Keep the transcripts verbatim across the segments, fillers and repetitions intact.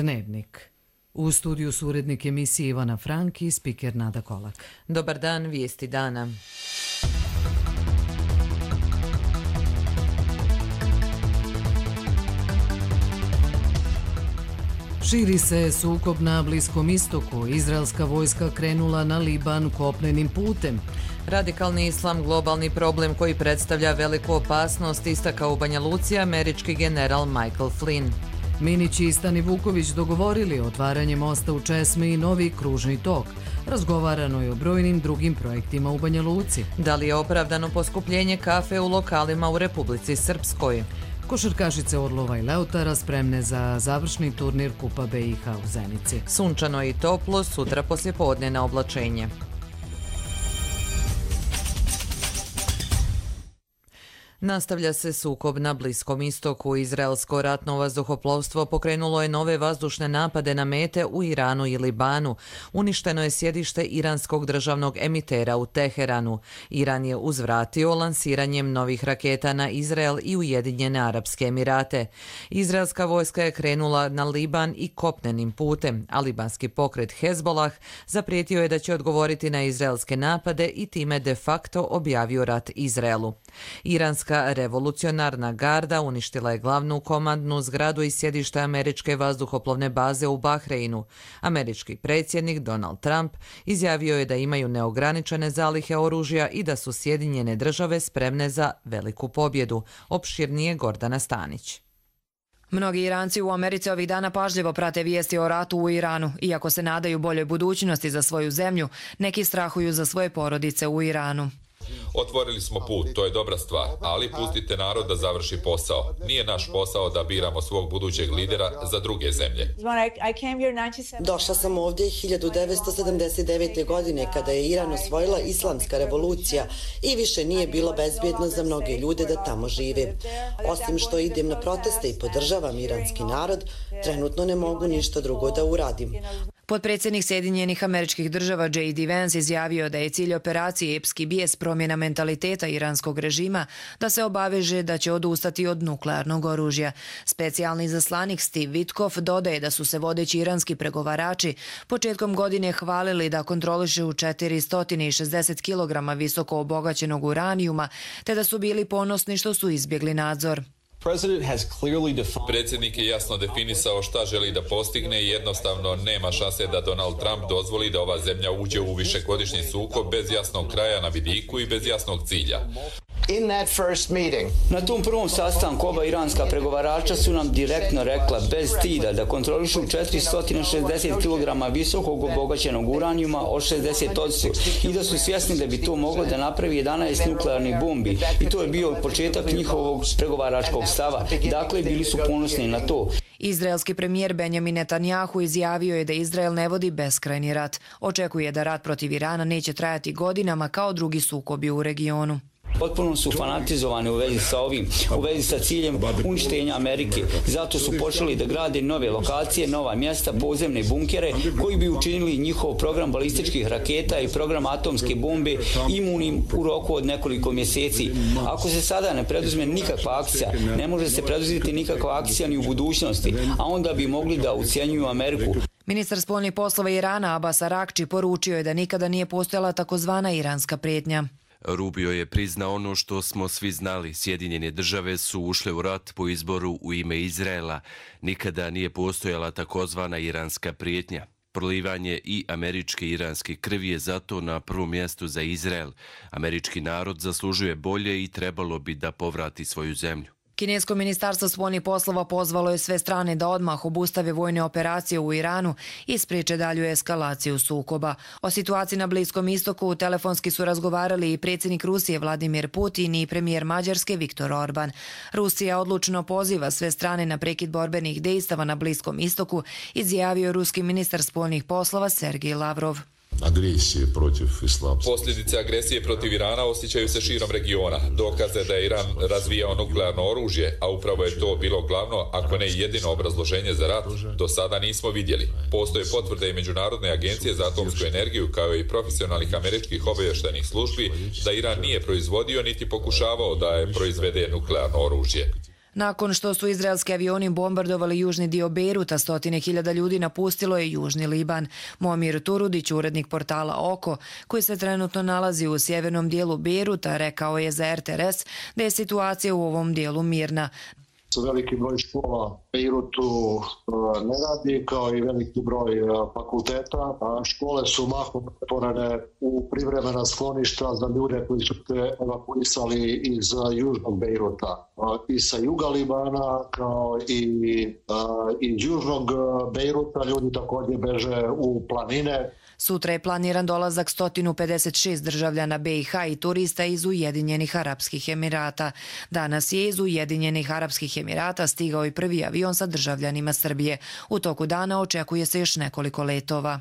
Dnevnik. U studiju su urednik emisije Ivana Frank i spiker Nada Kolak. Dobar dan, vijesti dana. Širi se sukob na Bliskom istoku. Izraelska vojska krenula na Liban kopnenim putem. Radikalni islam globalni problem koji predstavlja veliku opasnost, istakao u Banja Luci američki general Michael Flynn. Minić i Stani Vuković dogovorili otvaranje mosta u Česmi i novi kružni tok. Razgovarano je o brojnim drugim projektima u Banja Luci. Da li je opravdano poskupljenje kafe u lokalima u Republici Srpskoj? Košarkašice Orlova i Leutara spremne za završni turnir Kupa B i H u Zenici. Sunčano i toplo, sutra poslijepodne na oblačenje. Nastavlja se sukob na Bliskom istoku. Izraelsko ratno vazduhoplovstvo pokrenulo je nove vazdušne napade na mete u Iranu i Libanu. Uništeno je sjedište iranskog državnog emitera u Teheranu. Iran je uzvratio lansiranjem novih raketa na Izrael i Ujedinjene Arapske Emirate. Izraelska vojska je krenula na Liban i kopnenim putem, a libanski pokret Hezbollah zaprijetio je da će odgovoriti na izraelske napade i time de facto objavio rat Izraelu. Iranska revolucionarna garda uništila je glavnu komandnu zgradu i sjedište američke vazduhoplovne baze u Bahreinu. Američki predsjednik Donald Trump izjavio je da imaju neograničene zalihe oružja i da su Sjedinjene države spremne za veliku pobjedu. Opširnije Gordana Stanić. Mnogi Iranci u Americi ovih dana pažljivo prate vijesti o ratu u Iranu. Iako se nadaju boljoj budućnosti za svoju zemlju, neki strahuju za svoje porodice u Iranu. Otvorili smo put, to je dobra stvar, ali pustite narod da završi posao. Nije naš posao da biramo svog budućeg lidera za druge zemlje. Došla sam ovdje hiljadu devetsto sedamdeset devete. godine kada je Iran osvojila islamska revolucija i više nije bilo bezbjedno za mnoge ljude da tamo žive. Osim što idem na proteste i podržavam iranski narod, trenutno ne mogu ništa drugo da uradim. Potpredsjednik Sjedinjenih Američkih Država J D Vance izjavio da je cilj operacije Epski bijes promjena mentaliteta iranskog režima, da se obaveže da će odustati od nuklearnog oružja. Specijalni izaslanik Steve Witkoff dodaje da su se vodeći iranski pregovarači početkom godine hvalili da kontrolišu četiristo šezdeset kilograma visoko obogaćenog uranijuma, te da su bili ponosni što su izbjegli nadzor. Predsjednik je jasno definisao šta želi da postigne i jednostavno nema šanse da Donald Trump dozvoli da ova zemlja uđe u višegodišnji sukob bez jasnog kraja na vidiku i bez jasnog cilja. Na tom prvom sastanku oba iranska pregovarača su nam direktno rekla bez stida da kontrolišu četiristo šezdeset kilograma visokog obogaćenog uranijuma od šezdeset posto i da su svjesni da bi to moglo da napravi jedanaest nuklearnih bombi i to je bio početak njihovog pregovaračkog stava. Dakle, bili su ponosni na to. Izraelski premijer Benjamin Netanjahu izjavio je da Izrael ne vodi beskrajni rat. Očekuje da rat protiv Irana neće trajati godinama kao drugi sukobi u regionu. Potpuno su fanatizovani u vezi sa ovim, u vezi sa ciljem uništenja Amerike. Zato su počeli da grade nove lokacije, nova mjesta, podzemne bunkere koji bi učinili njihov program balističkih raketa i program atomske bombe imunim u roku od nekoliko mjeseci. Ako se sada ne preduzme nikakva akcija, ne može se preduzeti nikakva akcija ni u budućnosti, a onda bi mogli da ucjenjuju Ameriku. Ministar spoljnih poslova Irana Abbas Arakči poručio je da nikada nije postojala takozvana iranska prijetnja. Rubio je priznao ono što smo svi znali. Sjedinjene države su ušle u rat po izboru u ime Izraela. Nikada nije postojala takozvana iranska prijetnja. Prolivanje i američke i iranske krvi je zato na prvom mjestu za Izrael. Američki narod zaslužuje bolje i trebalo bi da povrati svoju zemlju. Kinesko ministarstvo spoljnih poslova pozvalo je sve strane da odmah obustave vojne operacije u Iranu i spriječe dalju eskalaciju sukoba. O situaciji na Bliskom istoku telefonski su razgovarali i predsjednik Rusije Vladimir Putin i premijer Mađarske Viktor Orban. Rusija odlučno poziva sve strane na prekid borbenih dejstava na Bliskom istoku, izjavio ruski ministar spoljnih poslova Sergej Lavrov. agresije protiv islamske. Posljedice agresije protiv Irana osjećaju se širom regiona. Dokaze da je Iran razvijao nuklearno oružje, a upravo je to bilo glavno, ako ne jedino obrazloženje za rat, do sada nismo vidjeli. Postoje potvrde i Međunarodne agencije za atomsku energiju, kao i profesionalnih američkih obavještajnih službi, da Iran nije proizvodio niti pokušavao da je proizvede nuklearno oružje. Nakon što su izraelski avioni bombardovali južni dio Bejruta, stotine hiljada ljudi napustilo je južni Liban. Momir Turudić, urednik portala Oko, koji se trenutno nalazi u sjevernom dijelu Bejruta, rekao je za R T R S da je situacija u ovom dijelu mirna. Veliki broj škola u Bejrutu ne radi, kao i veliki broj fakulteta. Škole su mahom otvorene u privremena skloništa za ljude koji su se evakuisali iz južnog Bejruta. I sa juga Libana, kao i iz južnog Bejruta, ljudi također beže u planine. Sutra je planiran dolazak sto pedeset šest državljana B i H i turista iz Ujedinjenih Arapskih Emirata. Danas je iz Ujedinjenih Arapskih Emirata stigao i prvi avion sa državljanima Srbije. U toku dana očekuje se još nekoliko letova.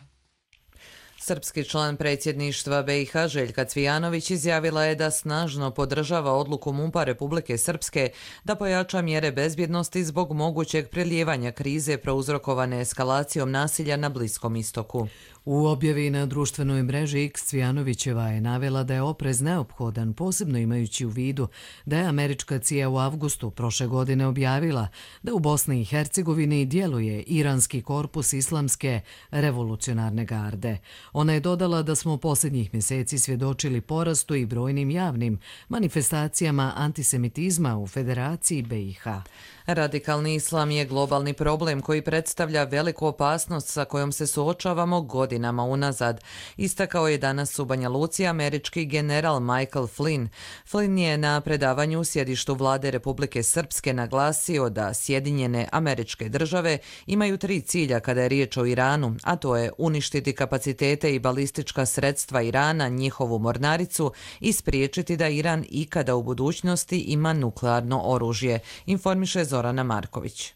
Srpski član predsjedništva B i H Željka Cvijanović izjavila je da snažno podržava odluku MUP-a Republike Srpske da pojača mjere bezbjednosti zbog mogućeg prelijevanja krize prouzrokovane eskalacijom nasilja na Bliskom istoku. U objavi na društvenoj mreži X Cvijanovićeva je navela da je oprez neophodan, posebno imajući u vidu da je američka C I A u avgustu prošle godine objavila da u Bosni i Hercegovini djeluje iranski korpus islamske revolucionarne garde. Ona je dodala da smo posljednjih mjeseci svjedočili porastu i brojnim javnim manifestacijama antisemitizma u Federaciji B i H. Radikalni islam je globalni problem koji predstavlja veliku opasnost sa kojom se suočavamo godinama unazad. Istakao je danas u Banja Luci američki general Michael Flynn. Flynn je na predavanju u sjedištu vlade Republike Srpske naglasio da Sjedinjene Američke Države imaju tri cilja kada je riječ o Iranu, a to je uništiti kapacitete i balistička sredstva Irana, njihovu mornaricu i spriječiti da Iran ikada u budućnosti ima nuklearno oružje, informiše Zorana Marković.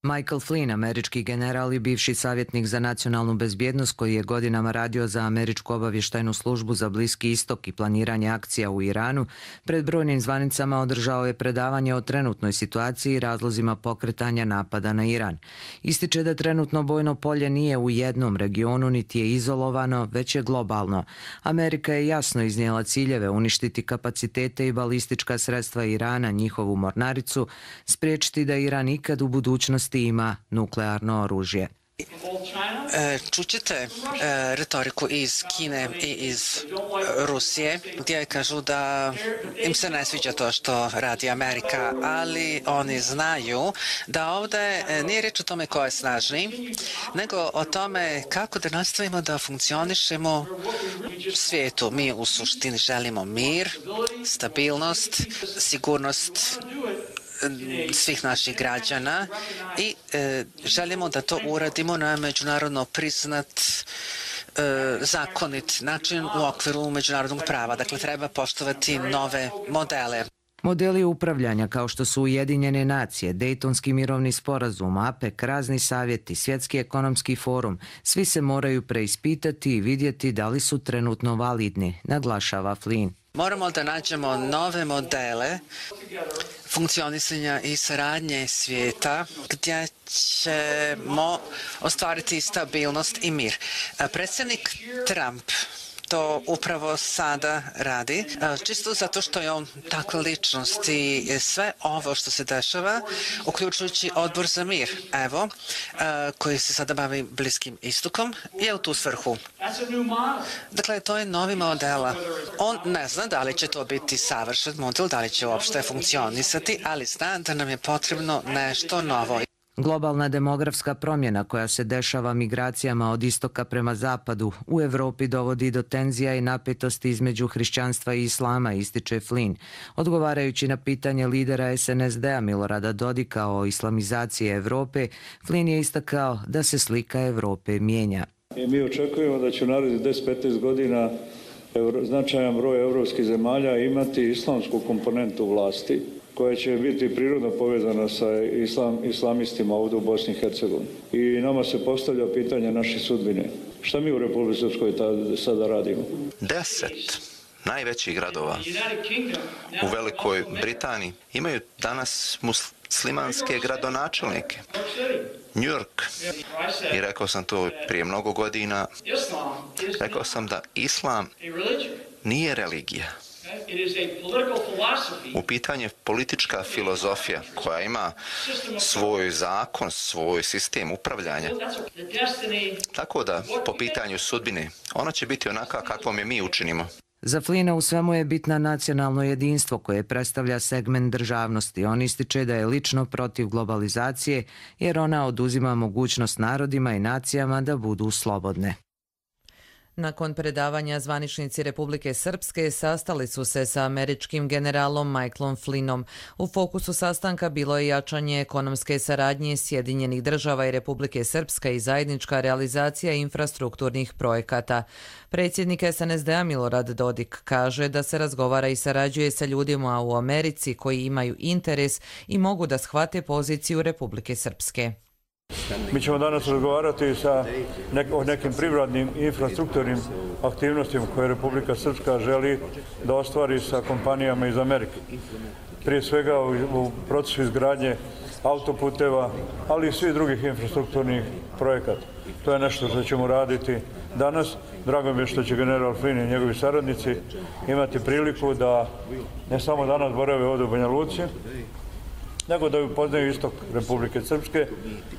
Michael Flynn, američki general i bivši savjetnik za nacionalnu bezbjednost koji je godinama radio za američku obavještajnu službu za Bliski istok i planiranje akcija u Iranu, pred brojnim zvanicama održao je predavanje o trenutnoj situaciji i razlozima pokretanja napada na Iran. Ističe da trenutno bojno polje nije u jednom regionu niti je izolovano, već je globalno. Amerika je jasno iznijela ciljeve uništiti kapacitete i balistička sredstva Irana, njihovu mornaricu, spriječiti da Iran ikad u budućnosti ima nuklearno oružje. Čućete retoriku iz Kine i iz Rusije gdje kažu da im se ne sviđa to što radi Amerika, ali oni znaju da ovdje nije reč o tome ko je snažniji, nego o tome kako da nastavimo da funkcionišemo u svijetu. Mi u suštini želimo mir, stabilnost, sigurnost svih naših građana i e, želimo da to uradimo na međunarodno priznat e, zakonit način u okviru međunarodnog prava. Dakle, treba poštovati nove modele. Modeli upravljanja kao što su Ujedinjene nacije, Dejtonski mirovni sporazum, A P E C, razni savjeti, Svjetski ekonomski forum, svi se moraju preispitati i vidjeti da li su trenutno validni, naglašava Flynn. Moramo da nađemo nove modele funkcionisanja i saradnje svijeta gdje ćemo ostvariti stabilnost i mir. Predsjednik Trump to upravo sada radi, čisto zato što je on takva ličnost i sve ovo što se dešava, uključujući odbor za mir, evo, koji se sada bavi Bliskim istokom, je u tu svrhu. Dakle, to je novi model. On ne zna da li će to biti savršen model, da li će uopšte funkcionisati, ali zna da nam je potrebno nešto novo. Globalna demografska promjena koja se dešava migracijama od istoka prema zapadu u Evropi dovodi do tenzija i napetosti između hrišćanstva i islama, ističe Flynn. Odgovarajući na pitanje lidera S N S D-a Milorada Dodika o islamizaciji Evrope, Flynn je istakao da se slika Evrope mijenja. I mi očekujemo da će u narednih deset do petnaest godina značajan broj evropskih zemalja imati islamsku komponentu vlasti, koja će biti prirodno povezana sa islam, islamistima ovdje u Bosni i Hercegovini. I nama se postavlja pitanje naše sudbine. Šta mi u Republici Srpskoj sada radimo? Deset najvećih gradova u Velikoj Britaniji imaju danas muslimanske gradonačelnike. New York, i rekao sam to prije mnogo godina, rekao sam da islam nije religija. U pitanju je politička filozofija koja ima svoj zakon, svoj sistem upravljanja. Tako da, po pitanju sudbine, ona će biti onaka kakvom je mi učinimo. Za Flina u svemu je bitna nacionalno jedinstvo koje predstavlja segment državnosti. On ističe da je lično protiv globalizacije jer ona oduzima mogućnost narodima i nacijama da budu slobodne. Nakon predavanja zvaničnici Republike Srpske sastali su se sa američkim generalom Michaelom Flynnom. U fokusu sastanka bilo je jačanje ekonomske saradnje Sjedinjenih država i Republike Srpska i zajednička realizacija infrastrukturnih projekata. Predsjednik S N S D-a Milorad Dodik kaže da se razgovara i sarađuje sa ljudima u Americi koji imaju interes i mogu da shvate poziciju Republike Srpske. Mi ćemo danas razgovarati sa nek o nekim privrednim i infrastrukturnim aktivnostima koje Republika Srpska želi da ostvari sa kompanijama iz Amerike. Prije svega u, u procesu izgradnje autoputeva, ali i svih drugih infrastrukturnih projekata. To je nešto što ćemo raditi danas. Drago mi je što će general Flynn i njegovi saradnici imati priliku da ne samo danas borave ovdje u Banja Luci, nego da upoznaju istok Republike Srpske,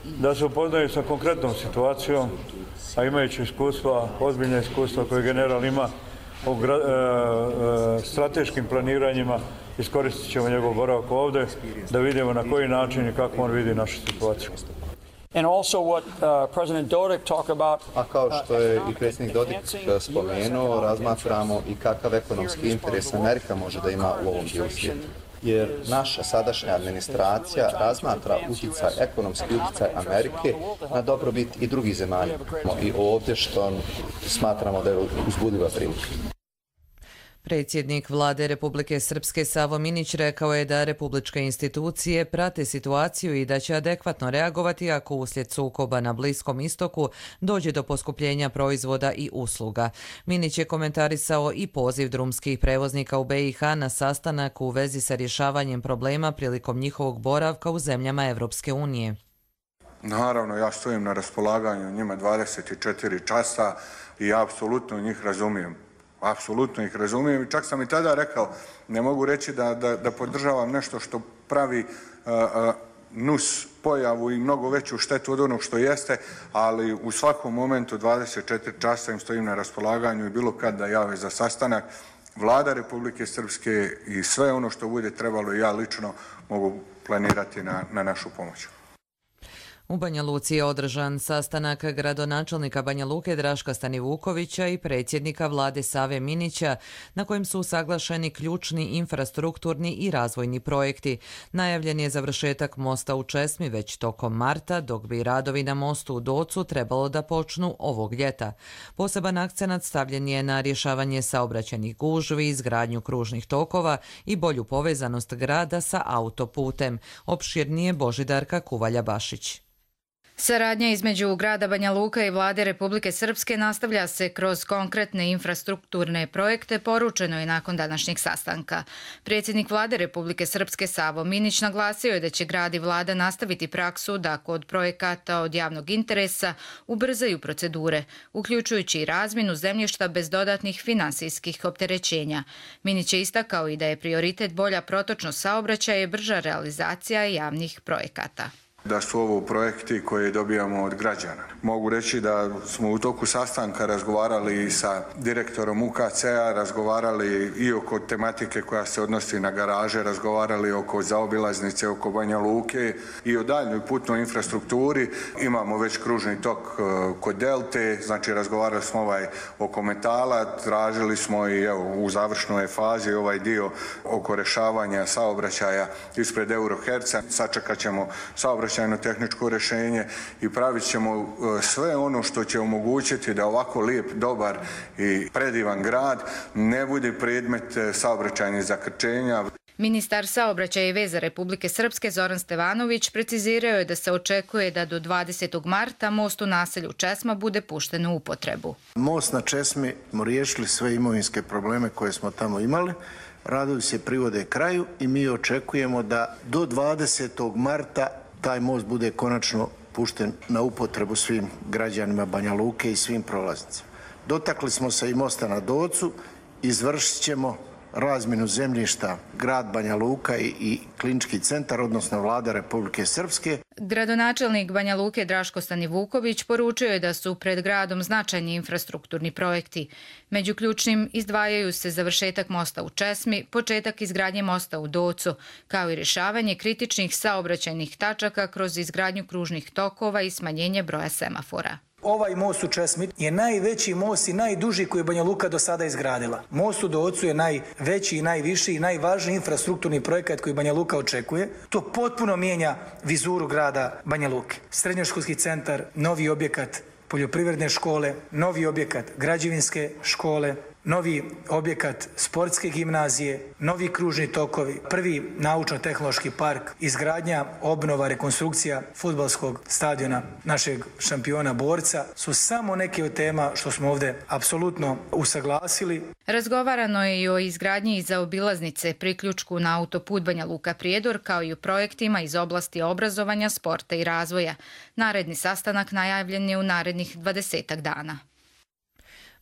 da se upoznaju sa konkretnom situacijom, a imajući iskustva, ozbiljne iskustva koje general ima o gra, e, e, strateškim planiranjima, iskoristit ćemo njegov boravak ovdje, da vidimo na koji način i kako on vidi našu situaciju. And also what uh, President Dodik talked about. A kao što je i predsjednik Dodik spomenuo, razmatramo i kakav ekonomski interes Amerika može da ima u ovom dijelu svijeta. Jer naša sadašnja administracija razmatra utjecaj, ekonomski utjecaj Amerike na dobrobit i drugih zemalja. I ovdje što smatramo da je uzbudljiva prilika. Predsjednik Vlade Republike Srpske Savo Minić rekao je da republičke institucije prate situaciju i da će adekvatno reagovati ako uslijed sukoba na Bliskom istoku dođe do poskupljenja proizvoda i usluga. Minić je komentarisao i poziv drumskih prevoznika u B i H na sastanak u vezi sa rješavanjem problema prilikom njihovog boravka u zemljama Evropske unije. Naravno, ja stojim na raspolaganju njima dvadeset četiri časa i apsolutno njih razumijem. Apsolutno ih razumijem i čak sam i tada rekao, ne mogu reći da, da, da podržavam nešto što pravi uh, uh, nus pojavu i mnogo veću štetu od onog što jeste, ali u svakom momentu dvadeset četiri časa im stojim na raspolaganju i bilo kad da jave za sastanak. Vlada Republike Srpske i sve ono što bude trebalo i ja lično mogu planirati na, na našu pomoć. U Banja Luci je održan sastanak gradonačelnika Banja Luke Draška Stanivukovića i predsjednika vlade Save Minića, na kojem su usaglašeni ključni infrastrukturni i razvojni projekti. Najavljen je završetak mosta u Česmi već tokom marta, dok bi radovi na mostu u Docu trebalo da počnu ovog ljeta. Poseban akcenat stavljen je na rješavanje saobraćajnih gužvi, izgradnju kružnih tokova i bolju povezanost grada sa autoputem. Opširnije Božidarka Kuvalja-Bašić. Saradnja između grada Banja Luka i vlade Republike Srpske nastavlja se kroz konkretne infrastrukturne projekte, poručeno je nakon današnjeg sastanka. Predsjednik vlade Republike Srpske Savo Minić naglasio je da će grad i vlada nastaviti praksu da kod projekata od javnog interesa ubrzaju procedure, uključujući i razmjenu zemljišta bez dodatnih finansijskih opterećenja. Minić je istakao i da je prioritet bolja protočnost saobraćaja i brža realizacija javnih projekata. Da su ovo projekti koje dobijamo od građana. Mogu reći da smo u toku sastanka razgovarali i sa direktorom U K C-a, razgovarali i oko tematike koja se odnosi na garaže, razgovarali oko zaobilaznice, oko Banja Luke i o daljnjoj putnoj infrastrukturi. Imamo već kružni tok kod Delte, znači razgovarali smo ovaj oko metala, tražili smo i evo, u završnoj fazi ovaj dio oko rješavanja saobraćaja ispred Euroherca. Sačekat ćemo saobraćaj tehničko rješenje i pravit ćemo sve ono što će omogućiti da ovako lijep, dobar i predivan grad ne bude predmet saobraćajnih zakrčenja. Ministar saobraćaja i veza Republike Srpske Zoran Stevanović precizirao je da se očekuje da do dvadesetog marta most u naselju Česma bude pušten u upotrebu. Most na Česmi smo riješili sve imovinske probleme koje smo tamo imali. Radovi se privode kraju i mi očekujemo da do dvadesetog marta taj most bude konačno pušten na upotrebu svim građanima Banja Luke i svim prolaznicima. Dotakli smo se i mosta na Docu, izvršit ćemo razmjenu zemljišta grad Banja Luka i, i klinički centar, odnosno vlada Republike Srpske. Gradonačelnik Banja Luke Draško Stanivuković poručio je da su pred gradom značajni infrastrukturni projekti. Među ključnim izdvajaju se završetak mosta u Česmi, početak izgradnje mosta u Docu, kao i rješavanje kritičnih saobraćajnih tačaka kroz izgradnju kružnih tokova i smanjenje broja semafora. Ovaj most u Česmi je najveći most i najduži koji je Banja Luka do sada izgradila. Most u Docu je najveći i najviši i najvažniji infrastrukturni projekat koji Banja Luka očekuje. To potpuno mijenja vizuru grada Banja Luke. Srednjoškolski centar, novi objekat poljoprivredne škole, novi objekat građevinske škole, novi objekat sportske gimnazije, novi kružni tokovi, prvi naučno-tehnološki park, izgradnja, obnova, rekonstrukcija fudbalskog stadiona našeg šampiona borca su samo neke od tema što smo ovdje apsolutno usaglasili. Razgovarano je i o izgradnji i zaobilaznice, priključku na autoput Banja Luka Prijedor, kao i o projektima iz oblasti obrazovanja, sporta i razvoja. Naredni sastanak najavljen je u narednih dvadesetak dana.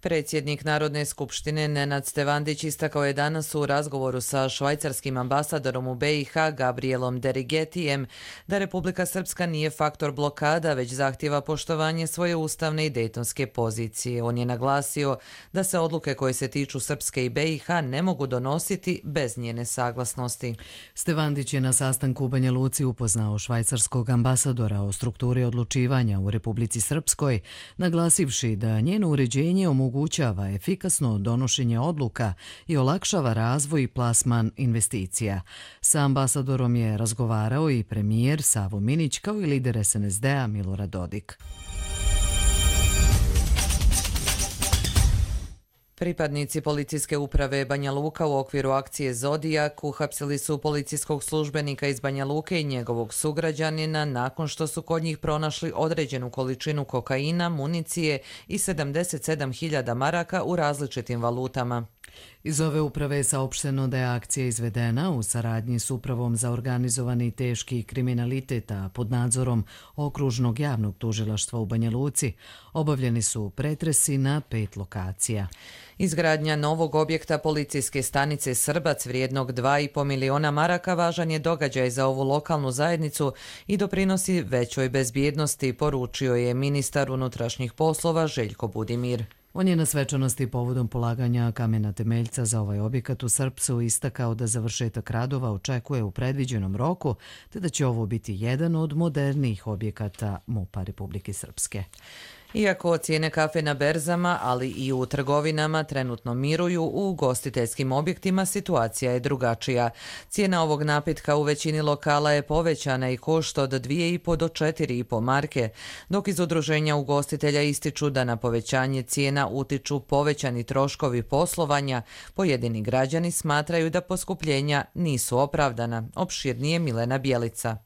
Predsjednik Narodne skupštine Nenad Stevandić istakao je danas u razgovoru sa švajcarskim ambasadorom u B i H Gabrielom Derigetijem da Republika Srpska nije faktor blokada, već zahtjeva poštovanje svoje ustavne i dejtonske pozicije. On je naglasio da se odluke koje se tiču Srpske i B i H ne mogu donositi bez njene saglasnosti. Stevandić je na sastanku u Banja Luci upoznao švajcarskog ambasadora o strukturi odlučivanja u Republici Srpskoj, naglasivši da njeno uređenje omogućava omogućava efikasno donošenje odluka i olakšava razvoj i plasman investicija. Sa ambasadorom je razgovarao i premijer Savo Minić kao i lider S N S D-a Milorad Dodik. Pripadnici policijske uprave Banja Luka u okviru akcije Zodijak uhapsili su policijskog službenika iz Banja Luke i njegovog sugrađanina nakon što su kod njih pronašli određenu količinu kokaina, municije i sedamdeset sedam hiljada maraka u različitim valutama. Iz ove uprave je saopšteno da je akcija izvedena u saradnji s Upravom za organizovani i teški kriminalitet, a pod nadzorom Okružnog javnog tužilaštva u Banja Luci. Obavljeni su pretresi na pet lokacija. Izgradnja novog objekta policijske stanice Srbac vrijednog dva i po miliona maraka važan je događaj za ovu lokalnu zajednicu i doprinosi većoj bezbjednosti, poručio je ministar unutrašnjih poslova Željko Budimir. On je na svečanosti povodom polaganja kamena temeljca za ovaj objekat u Srpcu istakao da završetak radova očekuje u predviđenom roku, te da će ovo biti jedan od modernijih objekata MUP-a Republike Srpske. Iako cijene kafe na berzama, ali i u trgovinama trenutno miruju, u ugostiteljskim objektima situacija je drugačija. Cijena ovog napitka u većini lokala je povećana i košta od dvije i po do četiri i po marke, dok iz udruženja ugostitelja ističu da na povećanje cijena utiču povećani troškovi poslovanja, pojedini građani smatraju da poskupljenja nisu opravdana. Opširnije Milena Bjelica.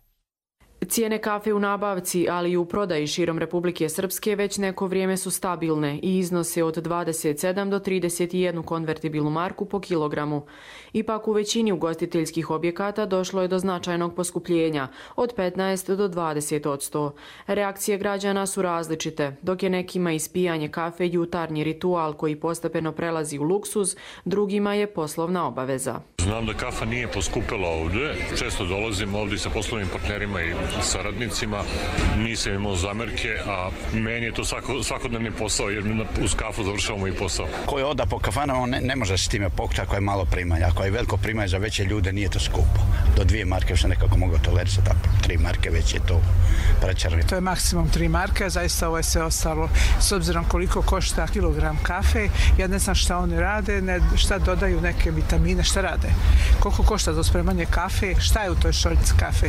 Cijene kafe u nabavci, ali i u prodaji širom Republike Srpske već neko vrijeme su stabilne i iznose od dvadeset sedam do trideset jedan konvertibilnu marku po kilogramu. Ipak u većini ugostiteljskih objekata došlo je do značajnog poskupljenja, od petnaest do dvadeset odsto. Reakcije građana su različite, dok je nekima ispijanje kafe jutarnji ritual koji postepeno prelazi u luksuz, drugima je poslovna obaveza. Znam da kafa nije poskupela ovdje, često dolazim ovdje sa poslovnim partnerima i saradnicima, nisam imao zamerke, a meni je to svako, svakodnevni posao jer uz kafu završavamo i posao. Ko je oda po kafanama, ne, ne može s time pokući ako je malo primanja. Ako je veliko primanje za veće ljude, nije to skupo. Do dvije marke što nekako mogu tolerisati, a tri marke već je to prečarno. To je maksimum tri marke, zaista ovo je sve ostalo. S obzirom koliko košta kilogram kafe, ja ne znam šta oni rade, ne, šta dodaju neke vitamine, šta rade. Koliko košta za spremanje kafe, šta je u toj šoljici kafe.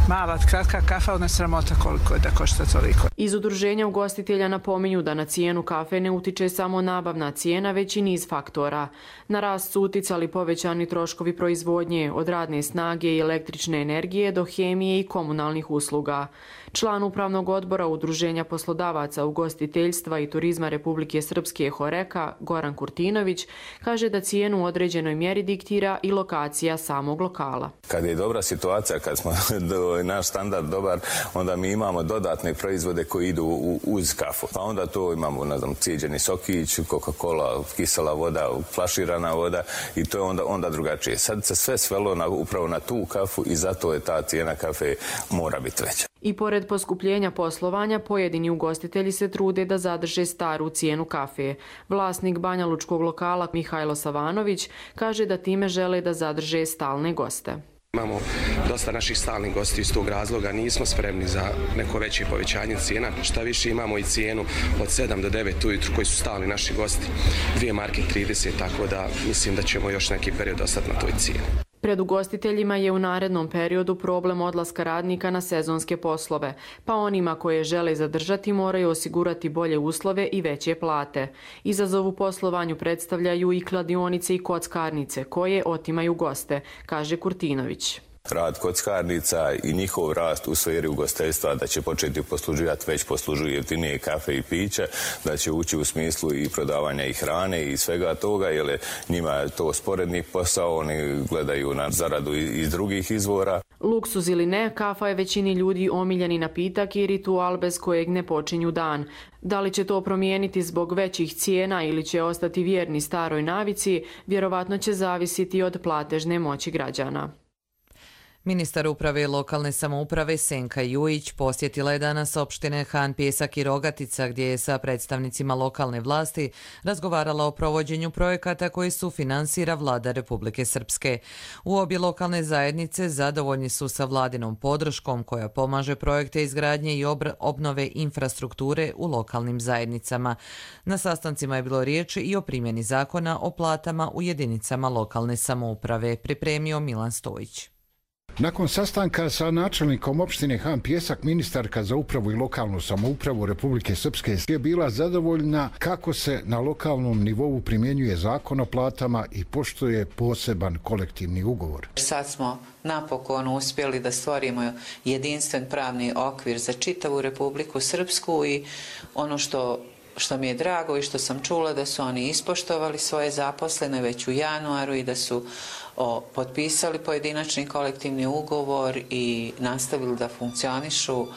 Mala, kratka kafa, ona je sramota koliko je da košta toliko. Iz udruženja ugostitelja napominju da na cijenu kafe ne utiče samo nabavna cijena, već i niz faktora. Na rast su uticali povećani troškovi proizvodnje, od radne snage i električne energije do hemije i komunalnih usluga. Član upravnog odbora Udruženja poslodavaca ugostiteljstva i turizma Republike Srpske Horeka, Goran Kurtinović, kaže da cijenu u određenoj mjeri diktira i lokacija samog lokala. Kad je dobra situacija, kad smo naš standard dobar, onda mi imamo dodatne proizvode koji idu uz kafu. Pa onda to imamo, ne znam, cijeđeni sokić, Coca-Cola, kisela voda, flaširana voda i to je onda, onda drugačije. Sad se sve svelo na, upravo na tu kafu i zato je ta cijena kafe mora biti veća. I pored poskupljenja poslovanja, pojedini ugostitelji se trude da zadrže staru cijenu kafe. Vlasnik banjalučkog lokala Mihajlo Savanović kaže da time žele da zadrže stalne goste. Imamo dosta naših stalnih gosti iz tog razloga, nismo spremni za neko veće povećanje cijena. Šta više, imamo i cijenu od sedam do devet ujutru koji su stalni naši gosti, dvije marke trideset, tako da mislim da ćemo još neki period ostati na toj cijeni. Pred ugostiteljima je u narednom periodu problem odlaska radnika na sezonske poslove, pa onima koje žele zadržati moraju osigurati bolje uslove i veće plate. Izazov u poslovanju predstavljaju i kladionice i kockarnice koje otimaju goste, kaže Kurtinović. Rad kockarnica i njihov rast u sferi ugostiteljstva da će početi posluživati, već poslužuju jeftinije kafe i piće, da će ući u smislu i prodavanja i hrane i svega toga, jer njima je to sporedni posao, oni gledaju na zaradu iz drugih izvora. Luksuz ili ne, kafa je većini ljudi omiljeni napitak i ritual bez kojeg ne počinju dan. Da li će to promijeniti zbog većih cijena ili će ostati vjerni staroj navici, vjerovatno će zavisiti od platežne moći građana. Ministar uprave lokalne samouprave Senka Jujić posjetila je danas opštine Han Pijesak i Rogatica gdje je sa predstavnicima lokalne vlasti razgovarala o provođenju projekata koji su finansira vlada Republike Srpske. U obje lokalne zajednice zadovoljni su sa vladinom podrškom koja pomaže projekte izgradnje i obnove infrastrukture u lokalnim zajednicama. Na sastancima je bilo riječi i o primjeni zakona o platama u jedinicama lokalne samouprave, pripremio Milan Stojić. Nakon sastanka sa načelnikom opštine Han Pijesak, ministarka za upravu i lokalnu samoupravu Republike Srpske je bila zadovoljna kako se na lokalnom nivou primjenjuje zakon o platama i poštuje poseban kolektivni ugovor. Sad smo napokon uspjeli da stvorimo jedinstven pravni okvir za čitavu Republiku Srpsku i ono što što mi je drago i što sam čula da su oni ispoštovali svoje zaposlene već u januaru i da su o, potpisali pojedinačni kolektivni ugovor i nastavili da funkcionišu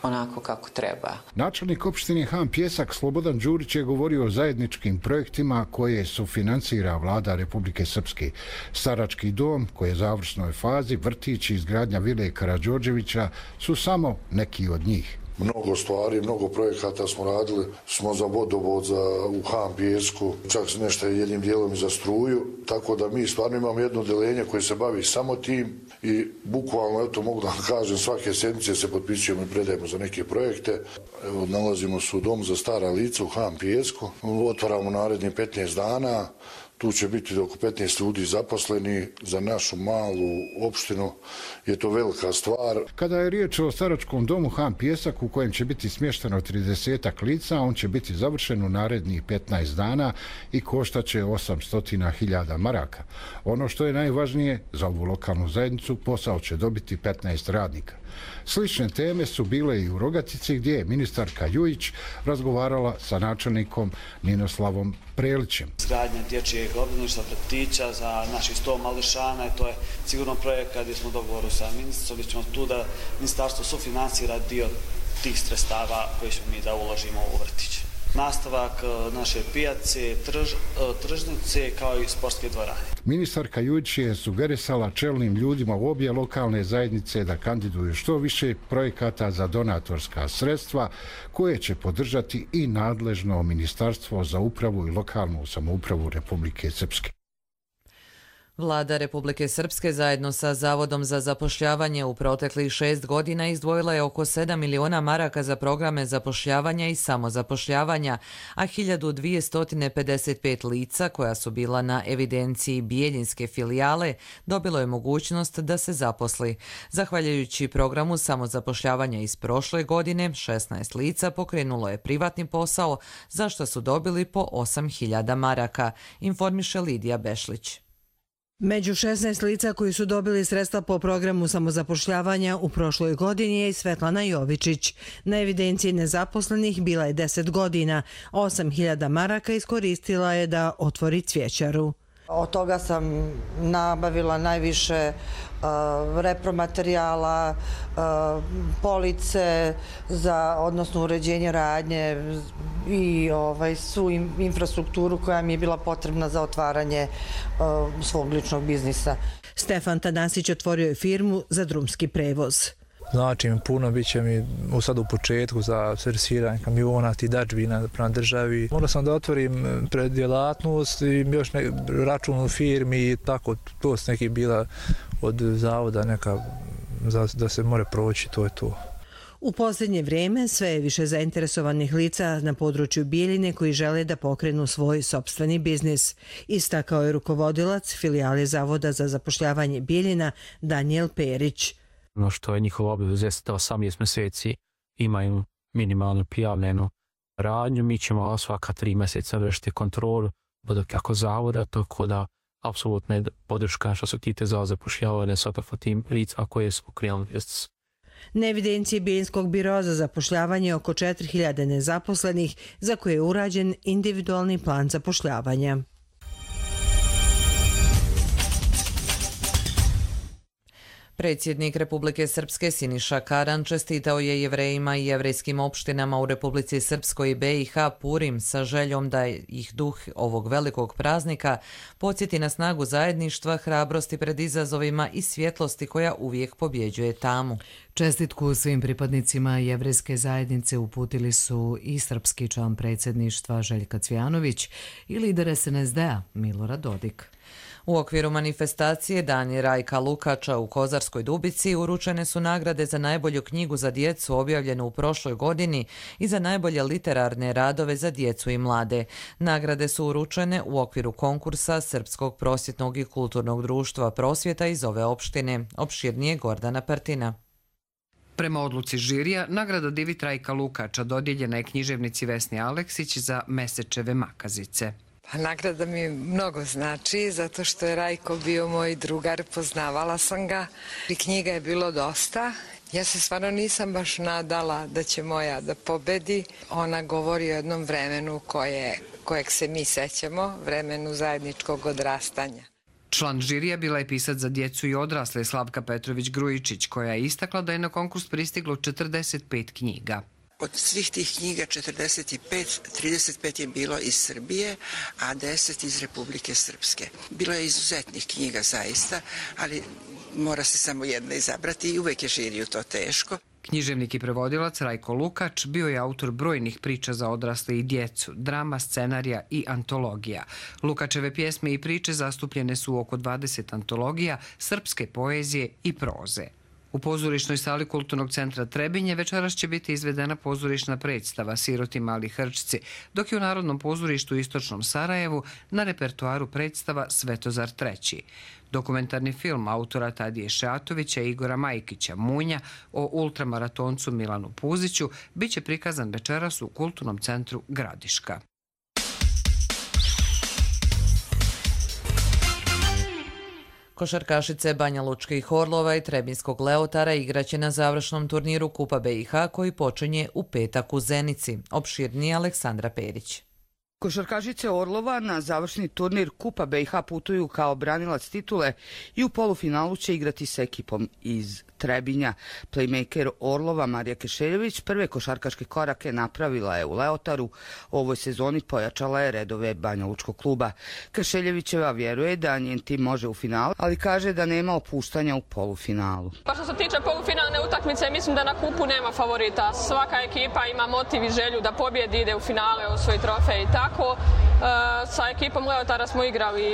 onako kako treba. Načelnik opštine Han Pijesak Slobodan Đurić je govorio o zajedničkim projektima koje sufinansira vlada Republike Srpske. Starački dom koji je u završnoj fazi, vrtić i izgradnja vile Karađorđevića su samo neki od njih. Mnogo stvari, mnogo projekata smo radili, smo za vodovod za, u Han Pijesku, čak nešto jednim dijelom i za struju, tako da mi stvarno imamo jedno odeljenje koje se bavi samo tim i bukvalno, eto mogu da vam kažem, svake sedmice se potpisujemo i predajemo za neke projekte. Evo, nalazimo se u domu za stara lica u Han Pijesku, otvaramo narednih petnaest dana, tu će biti oko petnaest ljudi zaposleni. Za našu malu opštinu je to velika stvar. Kada je riječ o staračkom domu Han Pijesak u kojem će biti smješteno tridesetak lica, on će biti završen u narednih petnaest dana i koštaće osamsto hiljada maraka. Ono što je najvažnije za ovu lokalnu zajednicu, posao će dobiti petnaest radnika. Slične teme su bile i u Rogatici gdje je ministarka Jujić razgovarala sa načelnikom Ninoslavom Prelićem. Izgradnja dječjeg obdaništa, vrtića za naših sto mališana, to je sigurno projekat gdje smo u dogovoru sa ministricom, gdje ćemo tu da ministarstvo sufinansira dio tih sredstava koje ćemo mi da uložimo u vrtić. Nastavak naše pijace, trž, tržnice kao i sportske dvorane. Ministarka Jujić je sugerisala čelnim ljudima u obje lokalne zajednice da kandiduju što više projekata za donatorska sredstva koje će podržati i nadležno Ministarstvo za upravu i lokalnu samoupravu Republike Srpske. Vlada Republike Srpske zajedno sa Zavodom za zapošljavanje u proteklih šest godina izdvojila je oko sedam miliona maraka za programe zapošljavanja i samozapošljavanja, a hiljadu dvjesto pedeset pet lica koja su bila na evidenciji Bijeljinske filijale dobilo je mogućnost da se zaposli. Zahvaljujući programu samozapošljavanja iz prošle godine, šesnaest lica pokrenulo je privatni posao, za što su dobili po osam hiljada maraka, informiše Lidija Bešlić. Među šesnaest lica koji su dobili sredstva po programu samozapošljavanja u prošloj godini je i Svetlana Jovičić. Na evidenciji nezaposlenih bila je deset godina, osam hiljada maraka iskoristila je da otvori cvjećaru. Od toga sam nabavila najviše uh, repromaterijala, uh, police za odnosno uređenje radnje i ovaj, svu infrastrukturu koja mi je bila potrebna za otvaranje uh, svog ličnog biznisa. Stefan Tanasić otvorio je firmu za drumski prevoz. Znači mi puno, bit će mi sad u početku za servisiranje kamiona, ti dačbina prema državi. Morao sam da otvorim preddjelatnost i još ne, račun u firmi i tako, to su neki bila od zavoda neka za, da se more proći, to je to. U posljednje vrijeme sve je više zainteresovanih lica na području Bijeljine koji žele da pokrenu svoj sopstveni biznis. Istakao je rukovodilac filijale Zavoda za zapošljavanje Bijeljina Danijel Perić. Ono što je njihova obaveza jeste da osamnaest mjeseci imaju minimalno prijavljenu radnju. Mi ćemo svaka tri mjeseca vršiti kontrolu kako zavoda, tako da apsolutno je podrška što se tiče za zapošljavanje svakako tim lica koje su pokrenuli biznis. Na evidenciji Bijeljinskog biroa za zapošljavanje oko četiri hiljade nezaposlenih za koje je urađen individualni plan zapošljavanja. Predsjednik Republike Srpske Siniša Karan čestitao je Jevrejima i jevrejskim opštinama u Republici Srpskoj i B i H Purim sa željom da ih duh ovog velikog praznika podsjeti na snagu zajedništva, hrabrosti pred izazovima i svjetlosti koja uvijek pobjeđuje tamu. Čestitku svim pripadnicima jevrejske zajednice uputili su i srpski član predsjedništva Željka Cvijanović i lider S N S D-a Milorad Dodik. U okviru manifestacije Dani Rajka Lukača u Kozarskoj Dubici uručene su nagrade za najbolju knjigu za djecu objavljenu u prošloj godini i za najbolje literarne radove za djecu i mlade. Nagrade su uručene u okviru konkursa Srpskog prosvjetnog i kulturnog društva Prosvjeta iz ove opštine. Opširnije Gordana Partina. Prema odluci žirija, nagrada Divi Trajka Lukača dodijeljena je književnici Vesni Aleksić za Mesečeve makazice. Pa nagrada mi mnogo znači, zato što je Rajko bio moj drugar, poznavala sam ga. I knjiga je bilo dosta. Ja se stvarno nisam baš nadala da će moja da pobedi. Ona govori o jednom vremenu koje, kojeg se mi sećamo, vremenu zajedničkog odrastanja. Član žirija bila je pisac za djecu i odrasle Slavka Petrović-Grujičić, koja je istakla da je na konkurs pristiglo četrdeset pet knjiga. Od svih tih knjiga četrdeset pet, trideset pet je bilo iz Srbije, a deset iz Republike Srpske. Bilo je izuzetnih knjiga zaista, ali mora se samo jedna izabrati i uvek je žiriju to teško. Književnik i prevodilac Rajko Lukač bio je autor brojnih priča za odrasle i djecu, drama, scenarija i antologija. Lukačeve pjesme i priče zastupljene su u oko dvadeset antologija srpske poezije i proze. U pozorišnoj sali Kulturnog centra Trebinje večeras će biti izvedena pozorišna predstava Siroti mali hrčci, dok je u Narodnom pozorištu u Istočnom Sarajevu na repertoaru predstava Svetozar treći. Dokumentarni film autora Tadije Šeatovića i Igora Majkića Munja o ultramaratoncu Milanu Puziću bit će prikazan večeras u Kulturnom centru Gradiška. Košarkašice Banja Lučkih Orlova i Trebinskog Leotara igraće na završnom turniru Kupa B i H koji počinje u petak u Zenici. Opširnije Aleksandra Perić. Košarkašice Orlova na završni turnir Kupa B i H putuju kao branilac titule i u polufinalu će igrati s ekipom iz Trebinja. Playmaker Orlova Marija Kešeljević prve košarkaške korake napravila je u Leotaru. U ovoj sezoni pojačala je redove Banja Lučkog kluba. Kešeljevićeva vjeruje da njen tim može u finalu, ali kaže da nema opuštanja u polufinalu. Pa što se tiče polufinalne utakmice, mislim da na kupu nema favorita. Svaka ekipa ima motiv i želju da pobjedi, ide u finale, osvoji trofej i tako. Sa ekipom Leotara smo igrali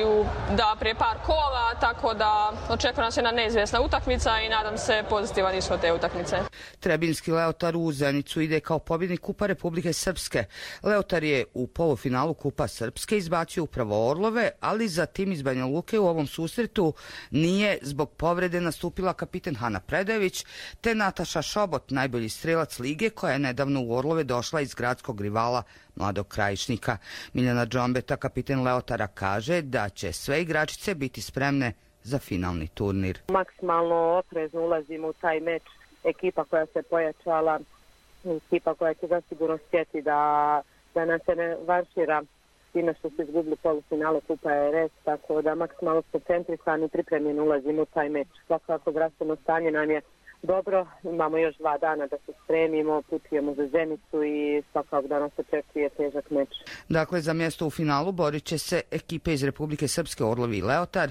u, da, prije par kola, tako da očekuje nas jedna neizvjesna utakmica i nadam se pozitivan ishod te utakmice. Trebinski Leotar u Zenicu ide kao pobjednik Kupa Republike Srpske. Leotar je u polufinalu Kupa Srpske izbacio upravo Orlove, ali za tim iz Banja Luke u ovom susretu nije zbog povrede nastupila kapiten Hana Predajević te Nataša Šobot, najbolji strelac lige koja je nedavno u Orlove došla iz gradskog rivala Mladog Krajišnika. Miljana Džombeta, kapiten Leotara, kaže da će sve igračice biti spremne za finalni turnir. Maksimalno oprezno ulazimo u taj meč. Ekipa koja se pojačala, ekipa koja će zasigurno htjeti da, da nas se ne vanšira time što se izgubili polufinale Kupa R S, tako da maksimalno smo koncentrisani i pripremljeni ulazimo u taj meč. Svakako zdravstveno stanje nam je dobro, imamo još dva dana da se spremimo, putujemo za Zenicu i svakako da nas očekuje težak meč. Dakle, za mjesto u finalu borit će se ekipe iz Republike Srpske Orlovi i Leotar,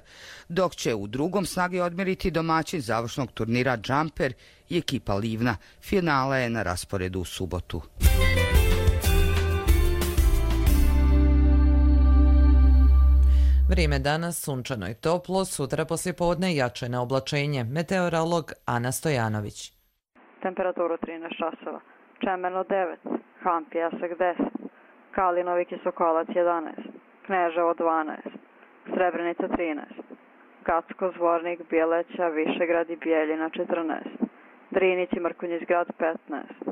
dok će u drugom snage odmjeriti domaćin završnog turnira Jumper i ekipa Livna. Finale je na rasporedu u subotu. Vrijeme danas sunčano i toplo, sutra poslijepodne jače na oblačenje. Meteorolog Ana Stojanović. Temperaturu trinaest časova. Čemerno devet, Han Pijesak deset, Kalinovik i Sokolac jedanaest, Kneževo dvanaest, Srebrenica trinaest, Gacko, Zvornik, Bjeleća, Višegrad i Bijeljina četrnaest, Drinić i Mrkonjić-Grad petnaest,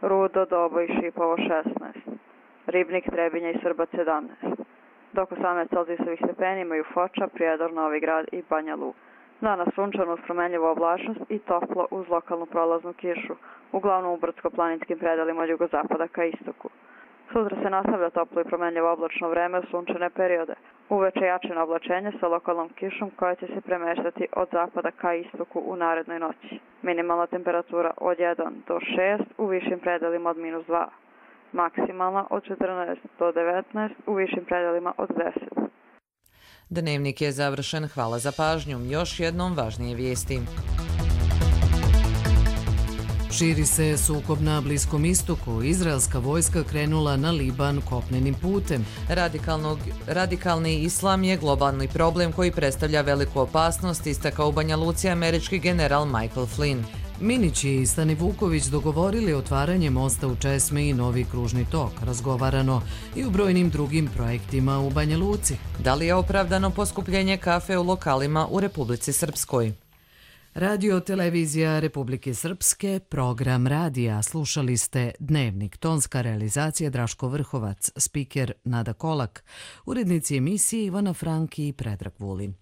Rudo, Dobo i Šipovo šesnaest, Ribnik, Trebinja i Srbac sedamnaest. Dok osamnaest celzijusovih stepeni imaju Foča, Prijedor, Novi Grad i Banja Luka. Danas sunčano uz promenljivu oblačnost i toplo uz lokalnu prolaznu kišu, uglavnom u brdsko-planinskim predelima od jugozapada ka istoku. Sutra se nastavlja toplo i promenljivo oblačno vreme u sunčane periode. Uveče jačino oblačenje sa lokalnom kišom koja će se premeštati od zapada ka istoku u narednoj noći. Minimalna temperatura od jedan do šest, u višim predelima od minus dva. Maksimalna od četrnaest do devetnaest, u višim predelima od deset. Dnevnik je završen. Hvala za pažnju. Još jednom važnije vijesti. Širi se sukob na Bliskom istoku. Izraelska vojska krenula na Liban kopnenim putem. Radikalnog, radikalni islam je globalni problem koji predstavlja veliku opasnost, istakao u Banja Luci američki general Michael Flynn. Minić i Stani Vuković dogovorili otvaranje mosta u Česmi i novi kružni tok. Razgovarano i u brojnim drugim projektima u Banja Luci. Da li je opravdano poskupljenje kafe u lokalima u Republici Srpskoj? Radio Televizija Republike Srpske, program radija. Slušali ste Dnevnik, tonska realizacija Draško Vrhovac, spiker Nada Kolak, urednici emisije Ivana Franki i Predrag Vulin.